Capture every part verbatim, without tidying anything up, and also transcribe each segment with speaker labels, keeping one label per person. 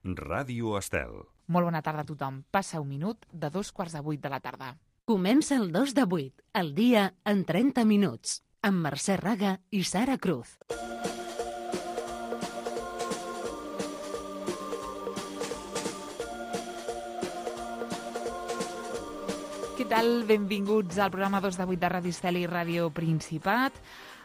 Speaker 1: Ràdio Estel.
Speaker 2: Molt bona tarda a tothom. Passa un minut de dos quarts de vuit de la tarda.
Speaker 3: Comença el dos de vuit, el dia en trenta minuts, amb Mercè Raga i Sara Cruz.
Speaker 2: Què tal? Benvinguts al programa dos de vuit de Ràdio Estel i Ràdio Principat.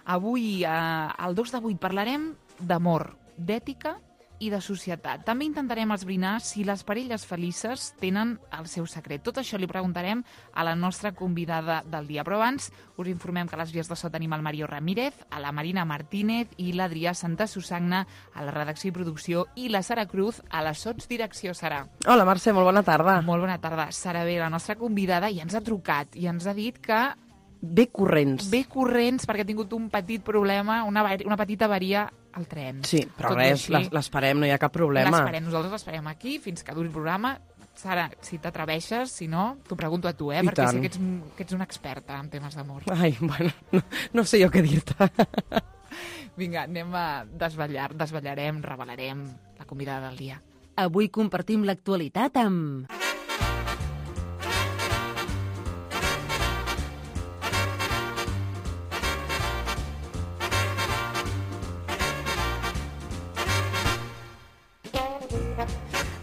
Speaker 2: Avui, eh, al dos de vuit, parlarem d'amor, d'ètica i de societat. També intentarem esbrinar si les parelles felices tenen el seu secret. Tot això li preguntarem a la nostra convidada del dia. Però abans us informem que a les vies de so tenim el Mario Ramírez, a la Marina Martínez i l'Adrià Santa Susagna a la redacció i producció i la Sara Cruz a la sotsdirecció. Sara.
Speaker 4: Hola Mercè, molt bona tarda.
Speaker 2: Molt bona tarda. Sara bé, la nostra convidada, ja ens ha trucat i ens ha dit que
Speaker 4: Ve corrents.
Speaker 2: Ve corrents perquè ha tingut un petit problema, una, una petita avaria al tren.
Speaker 4: Sí, però Tot res, l'esperem, no hi ha cap problema.
Speaker 2: L'esperem, nosaltres l'esperem aquí fins que duri el programa. Sara, si t'atreveixes, si no, t'ho pregunto a tu, eh?
Speaker 4: I
Speaker 2: perquè
Speaker 4: tant.
Speaker 2: sé que ets, que ets una experta en temes d'amor.
Speaker 4: Ai, bueno, no, no sé jo què dir-te.
Speaker 2: Vinga, anem a desvetllar, desvetllarem, revelarem la convidada del dia.
Speaker 3: Avui compartim l'actualitat amb...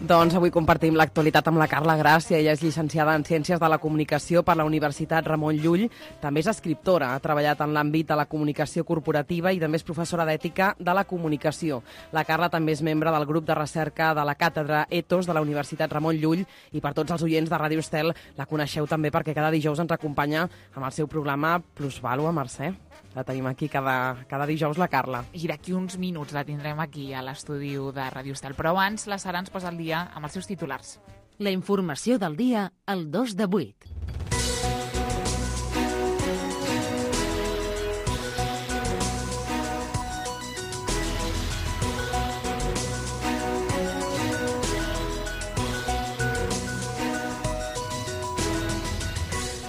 Speaker 4: Doncs avui compartim l'actualitat amb la Carla Gràcia. Ella és llicenciada en Ciències de la Comunicació per la Universitat Ramon Llull. També és escriptora, ha treballat en l'àmbit de la comunicació corporativa i també és professora d'ètica de la comunicació. La Carla també és membre del grup de recerca de la càtedra Ethos de la Universitat Ramon Llull i per tots els oients de Ràdio Estel la coneixeu també perquè cada dijous ens acompanya amb el seu programa Plusvàlua, Mercè. La tenim aquí cada, cada dijous, la Carla.
Speaker 2: I d'aquí uns minuts la tindrem aquí a l'estudi de Ràdio Estel. Però abans la Sara ens posa al dia amb els seus titulars.
Speaker 3: La informació del dia al dos de vuit.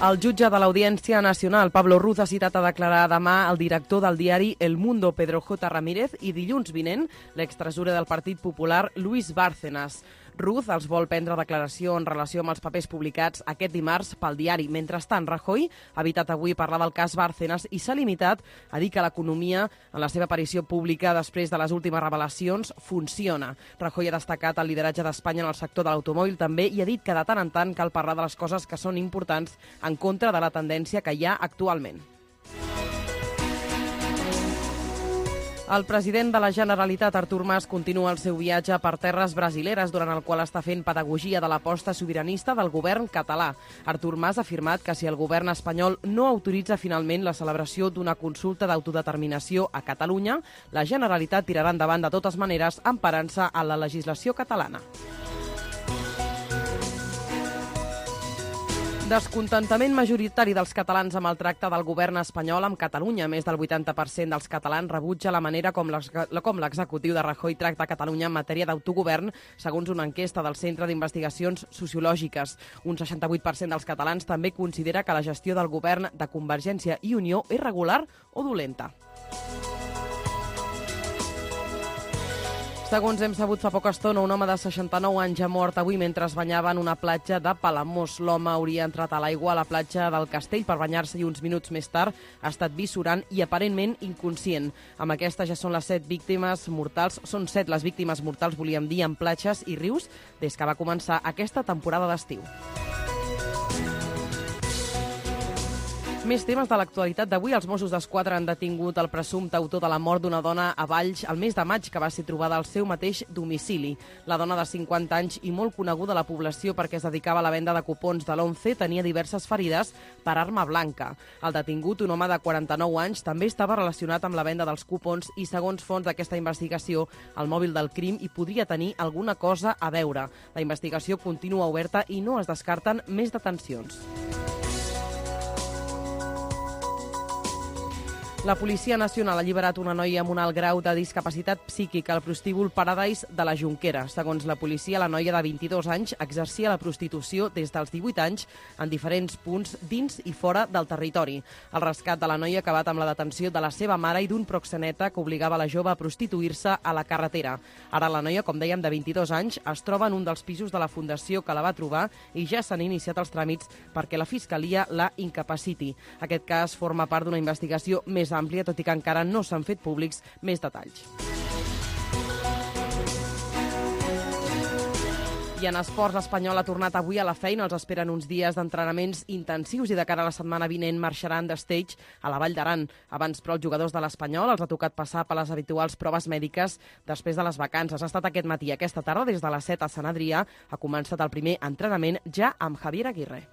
Speaker 4: El jutge de l'Audiència Nacional, Pablo Ruz, ha citat a declarar demà el director del diari El Mundo, Pedro J. Ramírez, i dilluns vinent l'extresorer del Partit Popular, Luis Bárcenas. Ruz els vol prendre declaració en relació amb els papers publicats aquest dimarts pel diari. Mentrestant, Rajoy ha evitat avui parlar del cas Bárcenas i s'ha limitat a dir que l'economia, en la seva aparició pública després de les últimes revelacions, funciona. Rajoy ha destacat el lideratge d'Espanya en el sector de l'automòbil també i ha dit que de tant en tant cal parlar de les coses que són importants en contra de la tendència que hi ha actualment. El president de la Generalitat, Artur Mas, continua el seu viatge per terres brasileres, durant el qual està fent pedagogia de l'aposta sobiranista del govern català. Artur Mas ha afirmat que si el govern espanyol no autoritza finalment la celebració d'una consulta d'autodeterminació a Catalunya, la Generalitat tirarà endavant de totes maneres emparant-se a la legislació catalana. Descontentament majoritari dels catalans amb el tracte del govern espanyol amb Catalunya. Més del vuitanta per cent dels catalans rebutja la manera com l'executiu de Rajoy tracta Catalunya en matèria d'autogovern, segons una enquesta del Centre d'Investigacions Sociològiques. Un seixanta-vuit per cent dels catalans també considera que la gestió del govern de Convergència i Unió és regular o dolenta. Segons hem sabut fa poca estona, un home de seixanta-nou anys ha mort avui mentre es banyava en una platja de Palamós. L'home hauria entrat a l'aigua a la platja del Castell per banyar-se i uns minuts més tard ha estat vist surant i aparentment inconscient. Amb aquesta ja són les set víctimes mortals, són set les víctimes mortals, volíem dir, en platges i rius des que va començar aquesta temporada d'estiu. Més temes de l'actualitat d'avui. Els Mossos d'Esquadra han detingut el presumpte autor de la mort d'una dona a Valls el mes de maig, que va ser trobada al seu mateix domicili. La dona de cinquanta anys i molt coneguda a la població perquè es dedicava a la venda de cupons de l'once tenia diverses ferides per arma blanca. El detingut, un home de quaranta-nou anys, també estava relacionat amb la venda dels cupons i, segons fonts d'aquesta investigació, el mòbil del crim hi podria tenir alguna cosa a veure. La investigació continua oberta i no es descarten més detencions. La Policia Nacional ha alliberat una noia amb un alt grau de discapacitat psíquica al prostíbul Paradise de la Jonquera. Segons la policia, la noia de vint-i-dos anys exercia la prostitució des dels divuit anys en diferents punts dins i fora del territori. El rescat de la noia ha acabat amb la detenció de la seva mare i d'un proxeneta que obligava la jove a prostituir-se a la carretera. Ara la noia, com dèiem, de vint-i-dos anys, es troba en un dels pisos de la fundació que la va trobar i ja s'han iniciat els tràmits perquè la Fiscalia la incapaciti. Aquest cas forma part d'una investigació més àmplia, tot i que encara no s'han fet públics més detalls. I en esports, l'Espanyol ha tornat avui a la feina. Els esperen uns dies d'entrenaments intensius i de cara a la setmana vinent marxaran de stage a la Vall d'Aran. Abans, però, els jugadors de l'Espanyol els ha tocat passar per les habituals proves mèdiques després de les vacances. Ha estat aquest matí, aquesta tarda, des de les set a Sant Adrià. Ha començat el primer entrenament ja amb Javier Aguirre.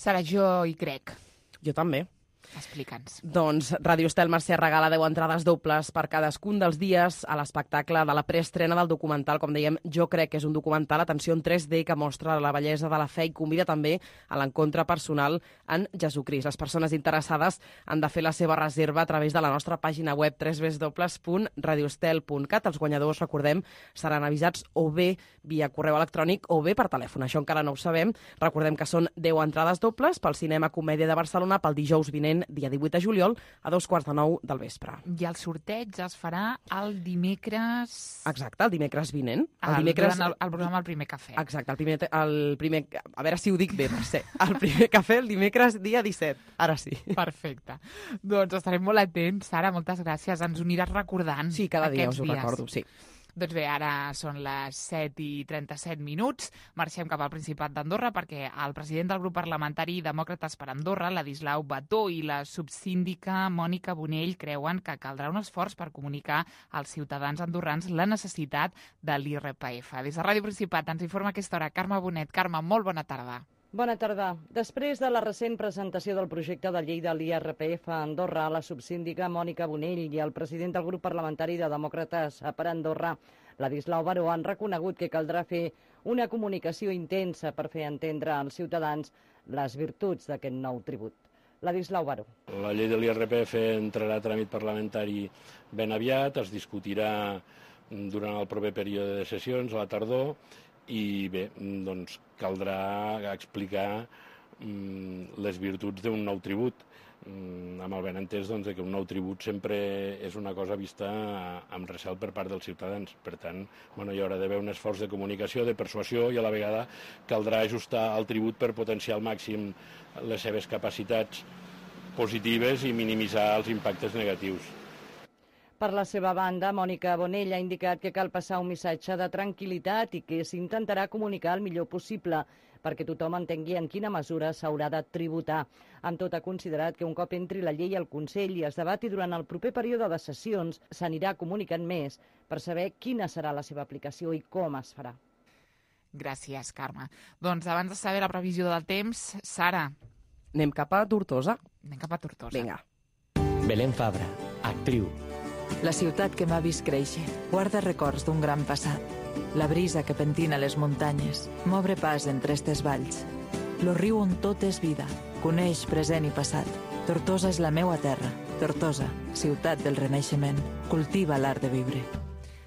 Speaker 2: Sara, jo hi crec.
Speaker 4: Jo també.
Speaker 2: Explica'ns.
Speaker 4: Doncs Ràdio Estel Mercè regala deu entrades dobles per cadascun dels dies a l'espectacle de la preestrena del documental. Com dèiem, Jo crec que és un documental, atenció, en tres D, que mostra la bellesa de la fe i convida també a l'encontre personal en Jesucrist. Les persones interessades han de fer la seva reserva a través de la nostra pàgina web w w w punt radio estel punt cat. Els guanyadors, recordem, seran avisats o bé via correu electrònic o bé per telèfon. Això encara no ho sabem. Recordem que són deu entrades dobles pel Cinema Comèdia de Barcelona pel dijous vinent, dia divuit de juliol, a dos quarts de nou del vespre.
Speaker 2: I el sorteig es farà el dimecres...
Speaker 4: Exacte, el dimecres vinent.
Speaker 2: El, el dimecres... Durant el, el programa El Primer Cafè.
Speaker 4: Exacte, el primer, el primer... A veure si ho dic bé, Mercè. El Primer Cafè el dimecres dia disset. Ara sí.
Speaker 2: Perfecte. Doncs estarem molt atents. Sara, moltes gràcies. Ens ho aniràs recordant.
Speaker 4: Sí, cada dia us ho
Speaker 2: dies.
Speaker 4: recordo, sí.
Speaker 2: Doncs bé, ara són les set i trenta-set minuts. Marxem cap al Principat d'Andorra perquè el president del grup parlamentari Demòcrates per Andorra, Ladislau Bató, i la subsíndica Mònica Bonell creuen que caldrà un esforç per comunicar als ciutadans andorrans la necessitat de l'I R P F. Des de Ràdio Principat ens informa a aquesta hora Carme Bonet. Carme, molt bona tarda.
Speaker 1: Bona tarda. Després de la recent presentació del projecte de llei de l'I R P F a Andorra, la subsíndica Mònica Bonell i el president del grup parlamentari de Demòcrates per Andorra, Ladislau Baró, han reconegut que caldrà fer una comunicació intensa per fer entendre als ciutadans les virtuts d'aquest nou tribut. Ladislau Baró.
Speaker 5: La llei de l'I R P F entrarà a tràmit parlamentari ben aviat, es discutirà durant el proper període de sessions, a la tardor, i bé, doncs caldrà explicar mm, les virtuts d'un nou tribut, mm, amb el benentès doncs, que un nou tribut sempre és una cosa vista amb recel per part dels ciutadans. Per tant, bueno, hi haurà d'haver un esforç de comunicació, de persuasió, i a la vegada caldrà ajustar el tribut per potenciar al màxim les seves capacitats positives i minimitzar els impactes negatius.
Speaker 1: Per la seva banda, Mònica Bonell ha indicat que cal passar un missatge de tranquil·litat i que s'intentarà comunicar el millor possible perquè tothom entengui en quina mesura s'haurà de tributar. Amb tot, ha considerat que un cop entri la llei al Consell i es debati durant el proper període de sessions, s'anirà comunicant més per saber quina serà la seva aplicació i com es farà.
Speaker 2: Gràcies, Carme. Doncs abans de saber la previsió del temps, Sara.
Speaker 4: Anem cap a Tortosa.
Speaker 2: Anem cap a Tortosa.
Speaker 4: Vinga.
Speaker 6: Belén Fabra, actriu.
Speaker 7: La ciutat que m'ha vist créixer guarda records d'un gran passat. La brisa que pentina les muntanyes m'obre pas entre estes valls. Lo riu on tot és vida, coneix present i passat. Tortosa és la meua terra. Tortosa, ciutat del Renaixement, cultiva l'art de viure.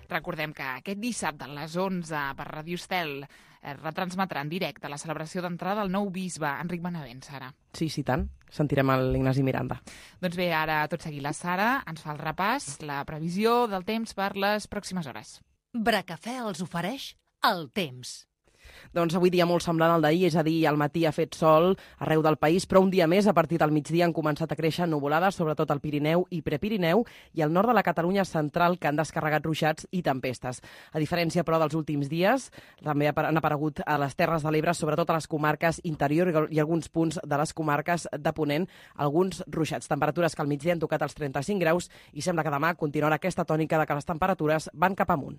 Speaker 2: Recordem que aquest dissabte a les onze per Ràdio Estel es retransmetrà en directe la celebració d'entrada del nou bisbe, Enric Benavent, Sara.
Speaker 4: Sí, sí, tant. Sentirem l'Ignasi Miranda.
Speaker 2: Doncs bé, ara tot seguit la Sara ens fa el repàs, la previsió del temps per les pròximes hores.
Speaker 3: Bracafè els ofereix el temps.
Speaker 4: Doncs avui dia molt semblant al d'ahir, és a dir, al matí ha fet sol arreu del país, però un dia més, a partir del migdia, han començat a créixer nuvolades, sobretot al Pirineu i Prepirineu, i al nord de la Catalunya central, que han descarregat ruixats i tempestes. A diferència, però, dels últims dies, també han aparegut a les Terres de l'Ebre, sobretot a les comarques interior i alguns punts de les comarques de Ponent, alguns ruixats. Temperatures que al migdia han tocat els trenta-cinc graus i sembla que demà continuarà aquesta tònica de que les temperatures van cap amunt.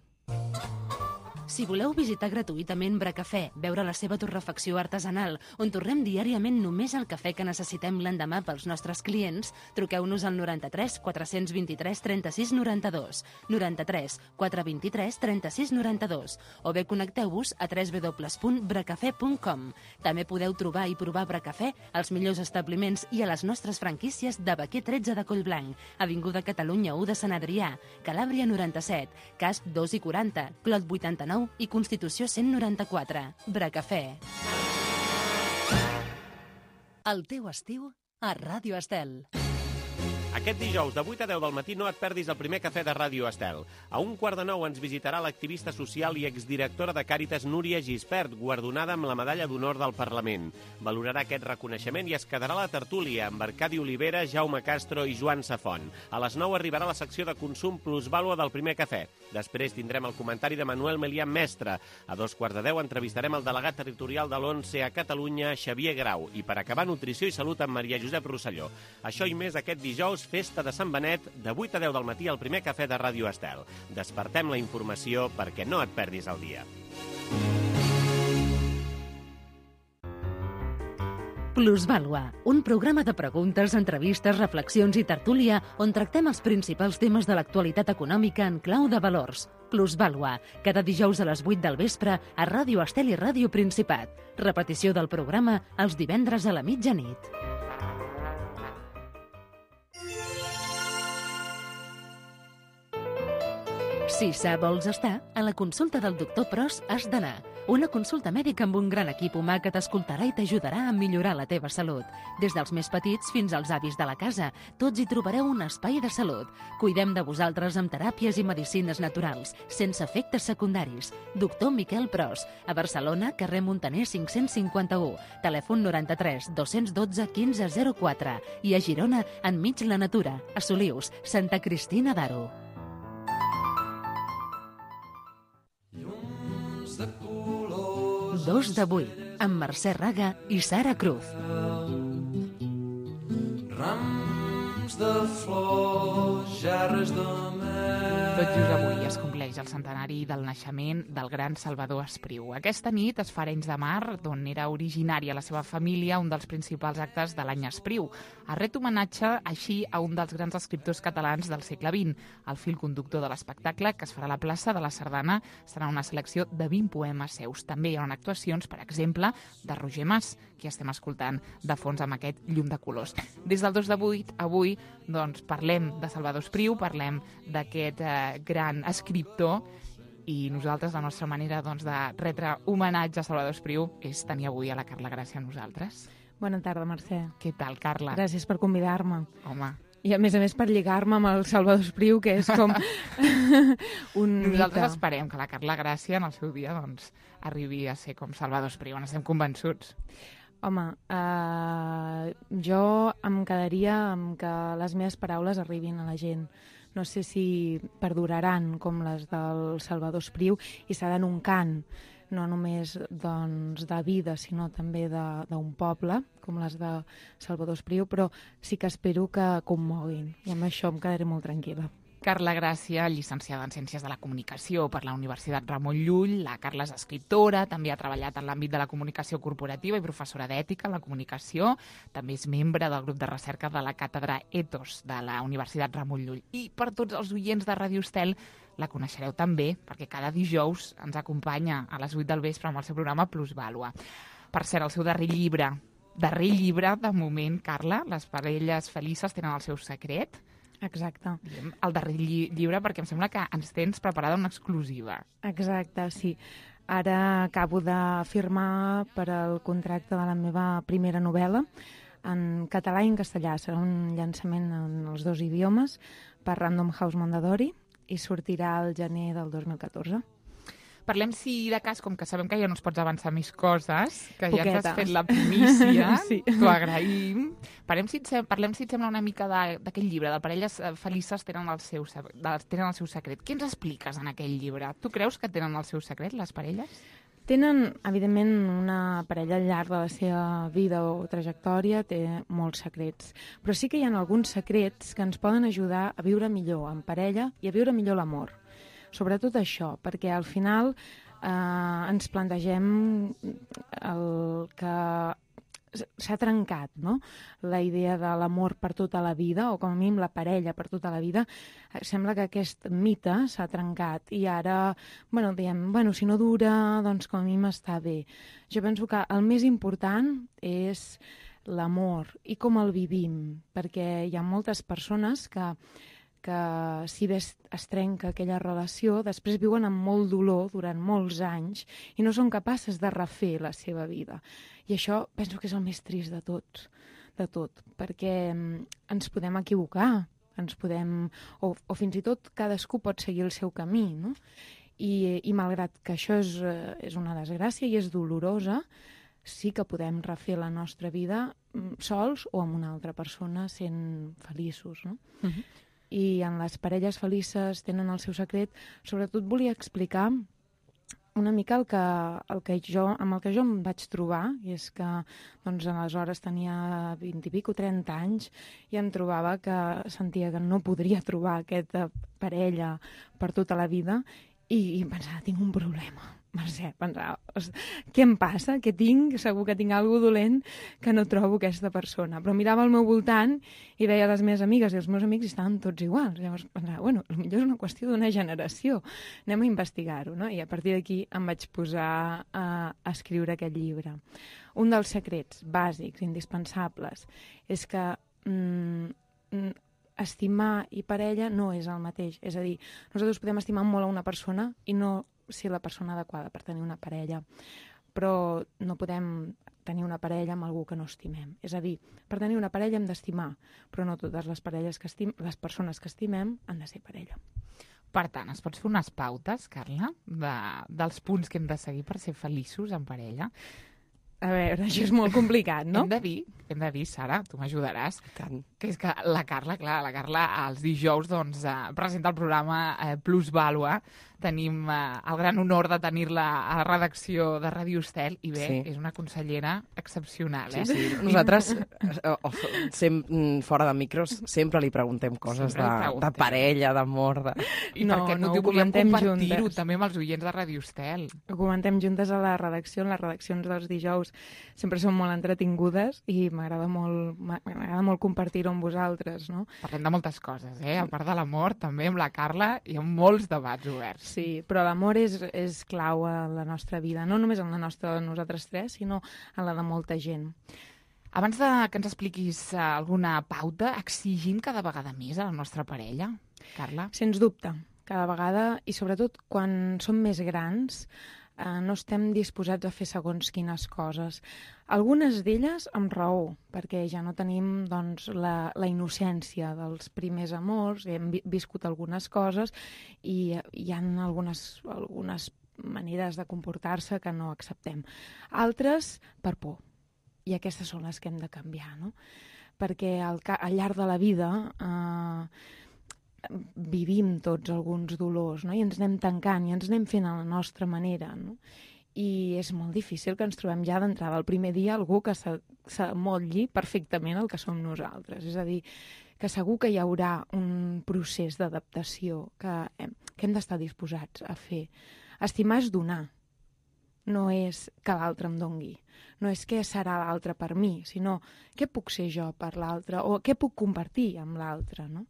Speaker 3: Si voleu visitar gratuïtament Bracafè, veure la seva torrefacció artesanal, on torrem diàriament només el cafè que necessitem l'endemà pels nostres clients, truqueu-nos al noranta-tres quatre vint tres trenta-sis noranta-dos, noranta-tres quatre vint tres trenta-sis noranta-dos, o bé connecteu-vos a w w w punt bracafè punt com. També podeu trobar i provar Bracafè als millors establiments i a les nostres franquícies de Baquer tretze de Collblanc, Avinguda Catalunya u de Sant Adrià, Calàbria noranta-set, Casp dos i quaranta, Clot vuitanta-nou i Constitució cent noranta-quatre. Bracafè. El teu estiu a Ràdio Estel.
Speaker 8: Aquest dijous, de vuit a deu del matí, no et perdis el primer cafè de Ràdio Estel. A un quart de nou ens visitarà l'activista social i exdirectora de Càritas Núria Gispert, guardonada amb la Medalla d'Honor del Parlament. Valorarà aquest reconeixement i es quedarà a la tertúlia amb Arcadi Olivera, Jaume Castro i Joan Safont. A les nou arribarà la secció de consum plusvàlua del primer cafè. Després tindrem el comentari de Manuel Melián Mestre. A dos quarts de deu entrevistarem el delegat territorial de l'ONCE a Catalunya, Xavier Grau. I per acabar, nutrició i salut amb Maria Josep Rosselló. Això i més aquest dijous, festa de Sant Benet, de vuit a deu del matí al primer cafè de Ràdio Estel. Despertem la informació perquè no et perdis el dia.
Speaker 3: Plusvàlua, un programa de preguntes, entrevistes, reflexions i tertúlia on tractem els principals temes de l'actualitat econòmica en clau de valors. Plusvàlua, cada dijous a les vuit del vespre a Ràdio Estel i Ràdio Principat. Repetició del programa els divendres a la mitjanit. Si sa vols estar, a la consulta del doctor Pros has d'anar. Una consulta mèdica amb un gran equip humà que t'escoltarà i t'ajudarà a millorar la teva salut. Des dels més petits fins als avis de la casa, tots hi trobareu un espai de salut. Cuidem de vosaltres amb teràpies i medicines naturals, sense efectes secundaris. Doctor Miquel Pros, a Barcelona, carrer Montaner cinc-cents cinquanta-u, telèfon noranta-tres dos-cents dotze quinze zero quatre i a Girona, enmig la natura, a Solius, Santa Cristina d'Aro. Dos de vuit, amb Mercè Raga i Sara Cruz.
Speaker 9: Rams de flors, gerres de mel.
Speaker 2: Tot just avui es compleix el centenari del naixement del gran Salvador Espriu. Aquesta nit es fa a Arenys de Mar, d'on era originària la seva família, un dels principals actes de l'any Espriu. Es ret homenatge així a un dels grans escriptors catalans del segle vint. El fil conductor de l'espectacle, que es farà a la plaça de la Sardana, serà una selecció de vint poemes seus. També hi haurà actuacions, per exemple, de Roger Mas, que estem escoltant de fons amb aquest llum de colors. Des del dos de vuit, avui, doncs, parlem de Salvador Espriu, parlem d'aquest eh, gran escriptor, i nosaltres, la nostra manera doncs, de retre homenatge a Salvador Espriu és tenir avui a la Carla Gràcia amb nosaltres.
Speaker 10: Bona tarda, Mercè.
Speaker 2: Què tal, Carla?
Speaker 10: Gràcies per convidar-me.
Speaker 2: Home.
Speaker 10: I a més a més per lligar-me amb el Salvador Espriu, que és com un
Speaker 2: Nosaltres
Speaker 10: mite.
Speaker 2: esperem que la Carla Gràcia en el seu dia doncs, arribi a ser com Salvador Espriu, n'estem convençuts.
Speaker 10: Home, eh, jo em quedaria amb que les meves paraules arribin a la gent. No sé si perduraran com les del Salvador Espriu i seran un cant, no només doncs, de vida, sinó també d'un poble, com les de Salvador Espriu, però sí que espero que commoguin, i amb això em quedaré molt tranquil·la.
Speaker 2: Carla Gràcia, llicenciada en Ciències de la Comunicació per la Universitat Ramon Llull. La Carla és escriptora, també ha treballat en l'àmbit de la comunicació corporativa i professora d'ètica en la comunicació. També és membre del grup de recerca de la Càtedra Ethos de la Universitat Ramon Llull. I per tots els oients de Ràdio Estel la coneixereu també, perquè cada dijous ens acompanya a les vuit del vespre amb el seu programa Plusvàlua. Per cert, el seu darrer llibre, darrer llibre, de moment, Carla, Les parelles felices tenen el seu secret.
Speaker 10: Exacte.
Speaker 2: El darrer lli llibre, perquè em sembla que ens tens preparada una exclusiva.
Speaker 10: Exacte, sí. Ara acabo de firmar per al contracte de la meva primera novel·la en català i en castellà. Serà un llançament en els dos idiomes per Random House Mondadori i sortirà al gener del dos mil catorze.
Speaker 2: Parlem, si de cas, com que sabem que ja no ens pots avançar més coses, que
Speaker 10: Poqueta.
Speaker 2: ja ens has fet la primícia,
Speaker 10: sí.
Speaker 2: t'ho agraïm. Parlem, si et, sem parlem, si et sembla, una mica d'aquell llibre, de Parelles felices tenen el, seu, tenen el seu secret. Què ens expliques en aquell llibre? Tu creus que tenen el seu secret, les parelles?
Speaker 10: Tenen, evidentment, una parella al llarg de la seva vida o trajectòria, té molts secrets. Però sí que hi ha alguns secrets que ens poden ajudar a viure millor en parella i a viure millor l'amor. Sobretot això, perquè al final eh, ens plantegem el que s'ha trencat, no? La idea de l'amor per tota la vida, o com a mínim la parella per tota la vida. Sembla que aquest mite s'ha trencat i ara, bueno, diem, bueno, si no dura, doncs com a mínim està bé. Jo penso que el més important és l'amor i com el vivim, perquè hi ha moltes persones que que si bé es, es trenca aquella relació, després viuen amb molt dolor durant molts anys i no són capaces de refer la seva vida. I això penso que és el més trist de tot, de tot, perquè ens podem equivocar, ens podem, o, o fins i tot cadascú pot seguir el seu camí, no? I, i malgrat que això és, és una desgràcia i és dolorosa, sí que podem refer la nostra vida sols o amb una altra persona sent feliços, no? Uh-huh. I en les parelles felices tenen el seu secret. Sobretot volia explicar una mica el que, el que jo, amb el que jo em vaig trobar, i és que doncs, aleshores tenia vint i pico, trenta anys, i em trobava que sentia que no podria trobar aquesta parella per tota la vida, i, i pensava, tinc un problema. Mercè, pensava, què em passa? Què tinc? Segur que tinc alguna cosa dolent que no trobo aquesta persona. Però mirava al meu voltant i veia les meves amigues i els meus amics i estaven tots iguals. Llavors pensava, bueno, potser és una qüestió d'una generació. Anem a investigar-ho, no? I a partir d'aquí em vaig posar a, a escriure aquest llibre. Un dels secrets bàsics, indispensables, és que mm, estimar i parella no és el mateix. És a dir, nosaltres podem estimar molt a una persona i no ser la persona adequada per tenir una parella, però no podem tenir una parella amb algú que no estimem. És a dir, per tenir una parella hem d'estimar, però no totes les parelles que estim, les persones que estimem han de ser parella.
Speaker 2: Per tant, es pots fer unes pautes, Carla, de, dels punts que hem de seguir per ser feliços en parella?
Speaker 10: A veure, això és molt complicat, no?
Speaker 2: Hem de dir, hem de dir, Sara, tu m'ajudaràs, que és que la Carla, clar, la Carla els dijous doncs, eh, presenta el programa eh, Plus Vàlua. Tenim eh, el gran honor de tenir-la a la redacció de Ràdio Estel i bé, sí. És una consellera excepcional, eh?
Speaker 4: Sí, sí. Nosaltres, sem, fora de micros, sempre li preguntem coses de, preguntem. de parella, d'amor... De...
Speaker 2: I no, perquè no, no ho volíem compartir-ho també amb els oients de Ràdio Estel.
Speaker 10: Ho comentem juntes a la redacció, en les redaccions dels dijous sempre són molt entretingudes i m'agrada molt, m'agrada molt compartir-ho amb vosaltres, no?
Speaker 2: Parlem de moltes coses, eh? A part de l'amor, també amb la Carla hi ha molts debats oberts.
Speaker 10: Sí, però l'amor és, és clau a la nostra vida, no només en la nostra de nosaltres tres, sinó en la de molta gent.
Speaker 2: Abans de que ens expliquis alguna pauta, exigim cada vegada més a la nostra parella, Carla?
Speaker 10: Sens dubte, cada vegada, i sobretot quan som més grans, eh, no estem disposats a fer segons quines coses. Algunes d'elles amb raó, perquè ja no tenim doncs, la, la innocència dels primers amors, hem vi viscut algunes coses i hi ha algunes, algunes maneres de comportar-se que no acceptem. Altres per por, i aquestes són les que hem de canviar, no? Perquè al, al llarg de la vida eh, vivim tots alguns dolors, no? I ens anem tancant i ens anem fent a la nostra manera, no? I és molt difícil que ens trobem ja d'entrada el primer dia algú que s'amotlli perfectament el que som nosaltres. És a dir, que segur que hi haurà un procés d'adaptació que hem, que hem d'estar disposats a fer. Estimar és donar, no és que l'altre em dongui, no és què serà l'altre per mi, sinó què puc ser jo per l'altre o què puc compartir amb l'altre, no?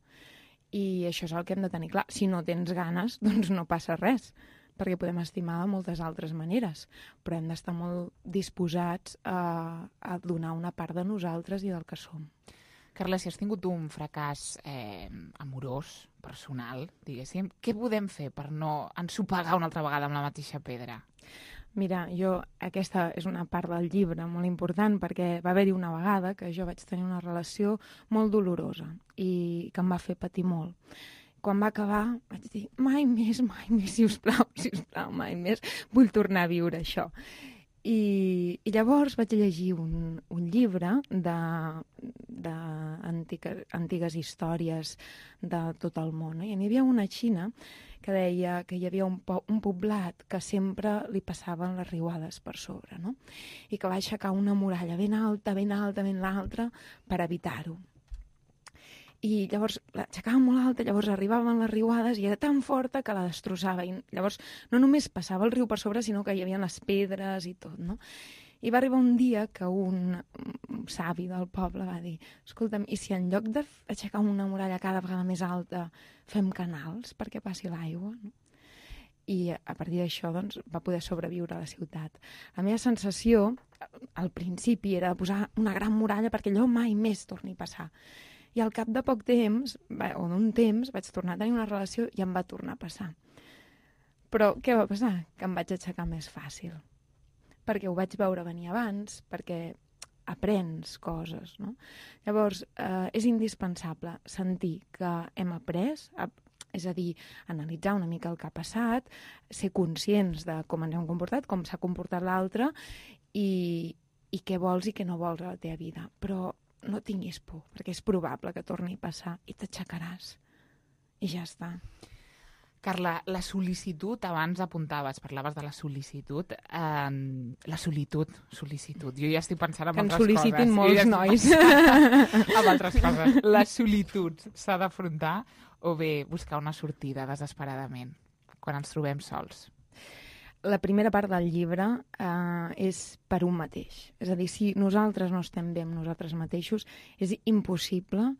Speaker 10: I això és el que hem de tenir clar. Si no tens ganes, doncs no passa res, perquè podem estimar de moltes altres maneres, però hem d'estar molt disposats a, a donar una part de nosaltres i del que som.
Speaker 2: Carla, si has tingut un fracàs eh, amorós, personal, diguéssim, què podem fer per no ensopegar una altra vegada amb la mateixa pedra?
Speaker 10: Mira, jo, aquesta és una part del llibre molt important perquè va haver-hi una vegada que jo vaig tenir una relació molt dolorosa i que em va fer patir molt. Quan va acabar vaig dir, mai més, mai més, sisplau, sisplau, mai més, vull tornar a viure això. I, i llavors vaig llegir un, un llibre de, de antigues, antigues històries de tot el món. No? I n'hi havia una a Xina que deia que hi havia un, po un poblat que sempre li passaven les riuades per sobre, no? I que va aixecar una muralla ben alta, ben alta, ben alta per evitar-ho. i llavors l'aixecava molt alta, llavors arribaven les riuades i era tan forta que la destrossava. I llavors no només passava el riu per sobre, sinó que hi havia les pedres i tot, no? I va arribar un dia que un savi del poble va dir: escolta'm, i si en lloc d'aixecar una muralla cada vegada més alta fem canals perquè passi l'aigua, no? I a partir d'això doncs, va poder sobreviure a la ciutat. La meva sensació, al principi, era de posar una gran muralla perquè allò mai més torni a passar. I al cap de poc temps, o d'un temps, vaig tornar a tenir una relació i em va tornar a passar. Però què va passar? Que em vaig aixecar més fàcil. Perquè ho vaig veure venir abans, perquè aprens coses, no? Llavors, eh, és indispensable sentir que hem après, és a dir, analitzar una mica el que ha passat, ser conscients de com ens hem comportat, com s'ha comportat l'altre i, i què vols i què no vols a la teva vida. Però no tinguis por, perquè és probable que torni a passar i t'aixecaràs. I ja està.
Speaker 2: Carla, la sol·licitud, abans apuntaves, parlaves de la sol·licitud, eh, la solitud, sol·licitud. Jo ja estic pensant en
Speaker 10: que
Speaker 2: altres coses.
Speaker 10: Que ens sol·licitin molts
Speaker 2: ja
Speaker 10: nois.
Speaker 2: En altres coses. La solitud s'ha d'afrontar o bé buscar una sortida desesperadament quan ens trobem sols?
Speaker 10: La primera part del llibre eh, és per un mateix. És a dir, si nosaltres no estem bé amb nosaltres mateixos, és impossible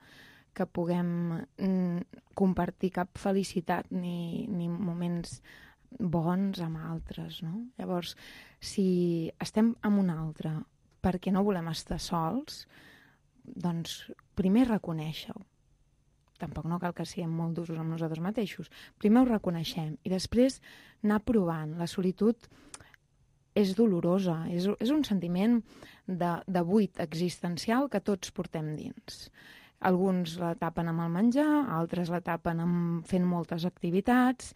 Speaker 10: que puguem mm, compartir cap felicitat ni, ni moments bons amb altres, no? Llavors, si estem amb un altre perquè no volem estar sols, doncs primer reconèixer-ho. Tampoc no cal que siguem molt d'usos amb nosaltres mateixos. Primer ho reconeixem i després anar provant. La solitud és dolorosa, és, és un sentiment de, de buit existencial que tots portem dins. Alguns la tapen amb el menjar, altres la tapen amb fent moltes activitats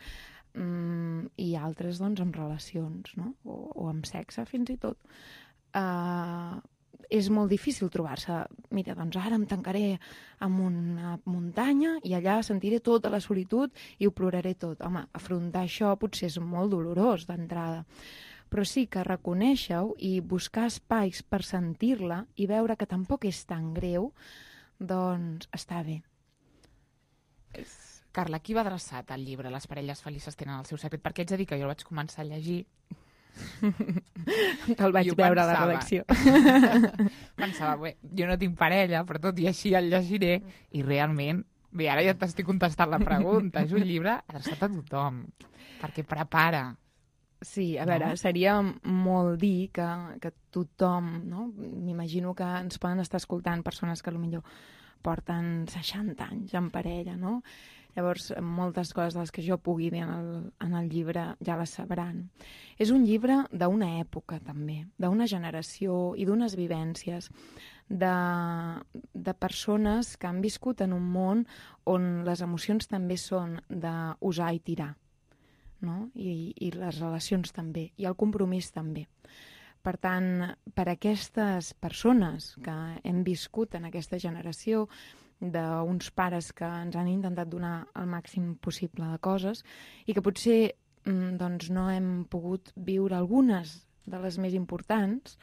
Speaker 10: mmm, i altres doncs amb relacions, no? o, o amb sexe fins i tot. Uh, és molt difícil trobar-se, mira, doncs ara em tancaré en una muntanya i allà sentiré tota la solitud i ho ploraré tot. Home, afrontar això potser és molt dolorós d'entrada, però sí que reconèixer-ho i buscar espais per sentir-la i veure que tampoc és tan greu, doncs està bé.
Speaker 2: Carla, qui va adreçat el llibre Les parelles felices tenen el seu secret? Perquè haig de dir que jo el vaig començar a llegir.
Speaker 10: Te'l vaig veure a la redacció.
Speaker 2: Pensava, bé, jo no tinc parella, però tot i així el llegiré, i realment, bé, ara ja t'estic contestant la pregunta, és un llibre adreçat a tothom, perquè prepara.
Speaker 10: Sí, a veure, no? Seria molt dir que, que tothom, no? M'imagino que ens poden estar escoltant persones que potser porten seixanta anys en parella, no? Llavors, moltes coses de les que jo pugui dir en el, en el llibre ja les sabran. És un llibre d'una època, també, d'una generació i d'unes vivències de, de persones que han viscut en un món on les emocions també són d'usar i tirar. No? I, i les relacions també, i el compromís també. Per tant, per aquestes persones que hem viscut en aquesta generació d'uns pares que ens han intentat donar el màxim possible de coses i que potser doncs, no hem pogut viure algunes de les més importants,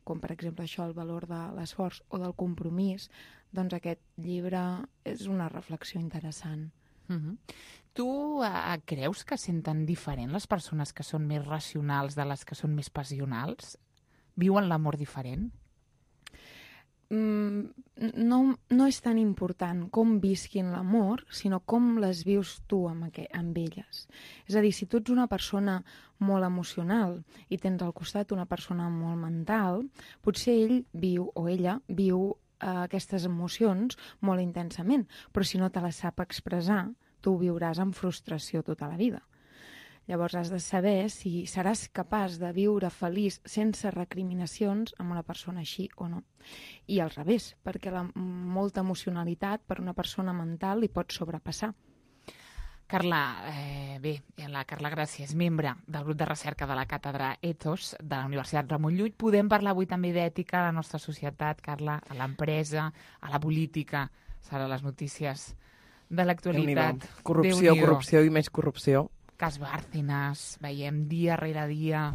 Speaker 10: com per exemple això, el valor de l'esforç o del compromís, doncs aquest llibre és una reflexió interessant.
Speaker 2: Uh-huh. Tu uh, creus que senten diferent les persones que són més racionals de les que són més passionals? Viuen l'amor diferent?
Speaker 10: Mm, no, no és tan important com visquin l'amor, sinó com les vius tu amb, aqu- amb elles. És a dir, si tu ets una persona molt emocional i tens al costat una persona molt mental, potser ell viu o ella viu uh, aquestes emocions molt intensament, però si no te les sap expressar, tu ho viuràs amb frustració tota la vida. Llavors has de saber si seràs capaç de viure feliç sense recriminacions amb una persona així o no. I al revés, perquè la molta emocionalitat per una persona mental li pot sobrepassar.
Speaker 2: Carla, eh, bé, la Carla Gràcia és membre del grup de recerca de la càtedra Ethos de la Universitat Ramon Llull. Podem parlar avui també d'ètica a la nostra societat, Carla, a l'empresa, a la política, serà les notícies de l'actualitat.
Speaker 4: Corrupció, corrupció i més corrupció.
Speaker 2: Cas Bárcenas, veiem dia rere dia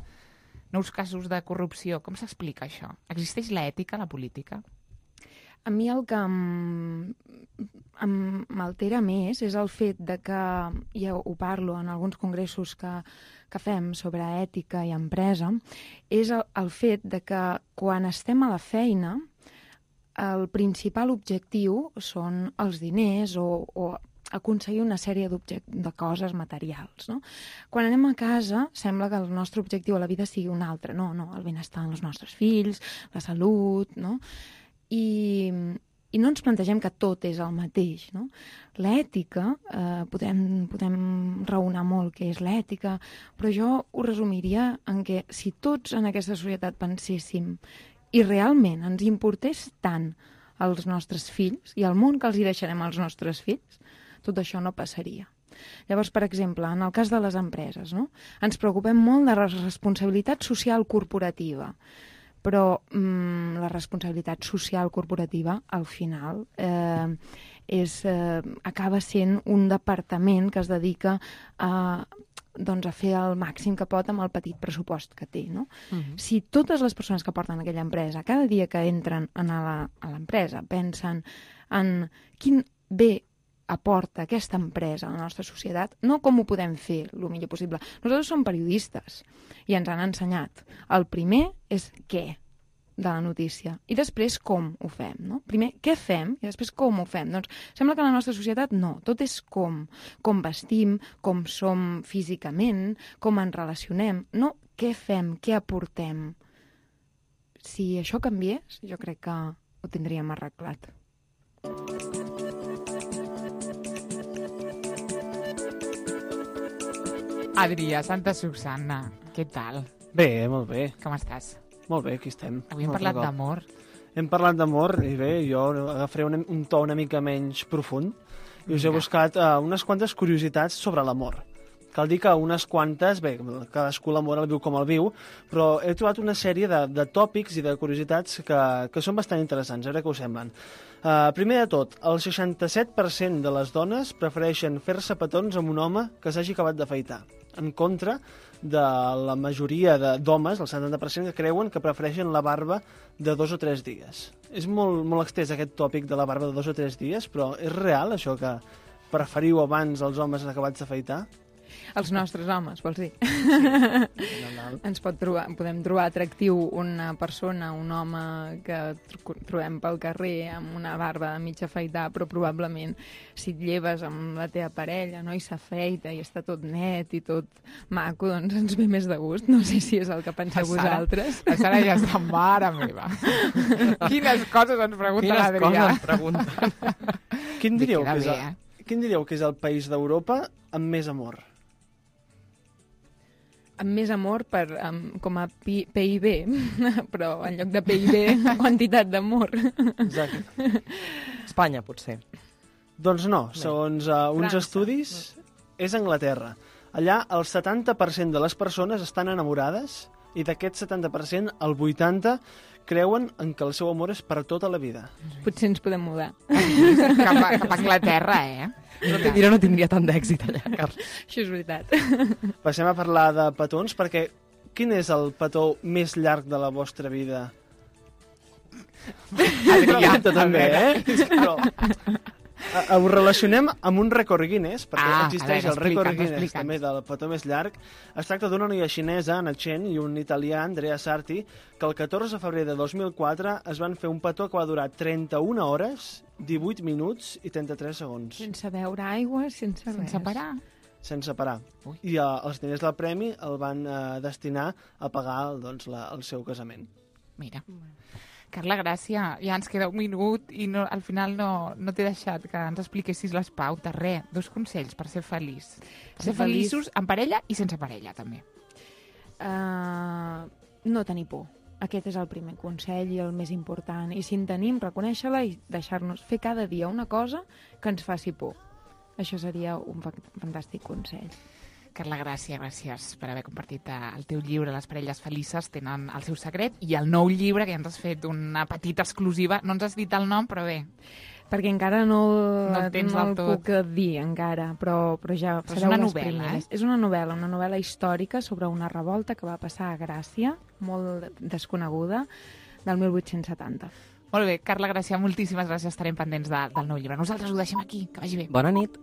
Speaker 2: nous casos de corrupció. Com s'explica això? Existeix l'ètica a la política?
Speaker 10: A mi el que m'altera més és el fet de que, ja ho parlo en alguns congressos que, que fem sobre ètica i empresa, és el, el fet de que quan estem a la feina el principal objectiu són els diners o, o aconseguir una sèrie de coses materials. No? Quan anem a casa sembla que el nostre objectiu a la vida sigui un altre. No, no, el benestar dels nostres fills, la salut, no? I, i no ens plantegem que tot és el mateix. No? L'ètica, eh, podem, podem raonar molt què és l'ètica, però jo ho resumiria en que si tots en aquesta societat penséssim i realment ens importés tant als nostres fills i al món que els hi deixarem als nostres fills, tot això no passaria. Llavors, per exemple, en el cas de les empreses, no? Ens preocupem molt de la responsabilitat social corporativa, però mmm, la responsabilitat social corporativa, al final, eh, és, eh, acaba sent un departament que es dedica a, doncs, a fer el màxim que pot amb el petit pressupost que té. No? Uh-huh. Si totes les persones que porten aquella empresa, cada dia que entren a l'empresa, pensen en quin bé aporta aquesta empresa a la nostra societat, no com ho podem fer el millor possible. Nosaltres som periodistes i ens han ensenyat. El primer és què de la notícia i després com ho fem. No? Primer què fem i després com ho fem. Doncs sembla que a la nostra societat no, tot és com. Com vestim, com som físicament, com ens relacionem. No què fem, què aportem. Si això canviés, jo crec que ho tindríem arreglat.
Speaker 2: Adrià Santa Susanna, què tal?
Speaker 11: Bé, molt bé.
Speaker 2: Com estàs?
Speaker 11: Molt bé, aquí estem.
Speaker 2: Avui hem parlat d'amor.
Speaker 11: Hem parlat d'amor i bé, jo agafaré un, un to una mica menys profund i us he buscat uh, unes quantes curiositats sobre l'amor. Cal dir que unes quantes, bé, cadascú l'amor el viu com el viu, però he trobat una sèrie de, de tòpics i de curiositats que, que són bastant interessants, a veure què us semblen. Uh, primer de tot, el seixanta-set per cent de les dones prefereixen fer-se petons amb un home que s'hagi acabat d'afaitar, en contra de la majoria d'homes, el setanta per cent, que creuen que prefereixen la barba de dos o tres dies. És molt, molt extès aquest tòpic de la barba de dos o tres dies, però és real això que preferiu abans els homes acabats d'afaitar?
Speaker 10: Els nostres homes, vols dir?
Speaker 11: Sí.
Speaker 10: Ens pot trobar, podem trobar atractiu una persona, un home que trobem pel carrer amb una barba de mig afaitar, però probablement si et lleves amb la teva parella, no, i s'afeita i està tot net i tot maco, doncs ens ve més de gust. No sé si és el que penseu vosaltres.
Speaker 2: La Sara ja està mare meva. Quines coses ens pregunta l'Adrià.
Speaker 4: Quines coses ens pregunten.
Speaker 11: Quin diríeu, que és el, quin diríeu que és el país d'Europa amb més amor?
Speaker 10: Amb més amor per, um, com a P I B, però en lloc de P I B, quantitat d'amor.
Speaker 11: Exacte.
Speaker 4: Espanya, potser.
Speaker 11: Doncs no, segons uh, uns
Speaker 10: França.
Speaker 11: estudis, és Anglaterra. Allà el setanta per cent de les persones estan enamorades i d'aquest setanta per cent, el vuitanta per cent creuen en que el seu amor és per tota la vida.
Speaker 10: Potser ens podem mudar.
Speaker 2: Cap a, cap a Anglaterra, eh?
Speaker 4: No, no tindria tant d'èxit allà, Carles.
Speaker 10: Això és veritat.
Speaker 11: Passem a parlar de petons, perquè quin és el petó més llarg de la vostra vida?
Speaker 2: Adrià,
Speaker 11: també, eh? Però ho relacionem amb un rècord Guinness, perquè
Speaker 2: ah,
Speaker 11: existeix
Speaker 2: veure,
Speaker 11: el rècord
Speaker 2: explica'ns,
Speaker 11: Guinness
Speaker 2: explica'ns.
Speaker 11: també del petó més llarg. Es tracta d'una noia xinesa, Anna Chen, i un italià, Andrea Sarti, que el catorze de febrer de dos mil quatre es van fer un petó que va durar trenta-una hores, divuit minuts i trenta-tres segons.
Speaker 10: Sense beure aigua, sense res.
Speaker 2: Sense parar.
Speaker 11: Sense parar. Ui. I uh, els diners del premi el van uh, destinar a pagar doncs, la, el seu casament.
Speaker 2: Mira. Carla, gràcia, ja ens queda un minut i no, al final no, no t'he deixat que ens expliquessis les pautes. Res, dos consells per ser feliç. Per ser feliços en parella i sense parella, també.
Speaker 10: Uh, no tenir por. Aquest és el primer consell i el més important. I si en tenim, reconèixer-la i deixar-nos fer cada dia una cosa que ens faci por. Això seria un fantàstic consell.
Speaker 2: Carla, gràcies, gràcies per haver compartit el teu llibre, Les parelles felices tenen el seu secret, i el nou llibre, que ja ens has fet una petita exclusiva. No ens has dit el nom, però bé.
Speaker 10: Perquè encara no,
Speaker 2: no el, tens
Speaker 10: no
Speaker 2: el
Speaker 10: el
Speaker 2: tot.
Speaker 10: puc dir, encara, però, però ja
Speaker 2: però
Speaker 10: sereu
Speaker 2: és una
Speaker 10: les
Speaker 2: novel·la,
Speaker 10: primeres.
Speaker 2: Eh?
Speaker 10: És una novel·la, una novel·la històrica sobre una revolta que va passar a Gràcia, molt desconeguda, del mil vuit-cents setanta.
Speaker 2: Molt bé, Carla Gracià, moltíssimes gràcies. Estarem pendents de, del nou llibre. Nosaltres ho deixem aquí. Que vagi bé.
Speaker 4: Bona nit.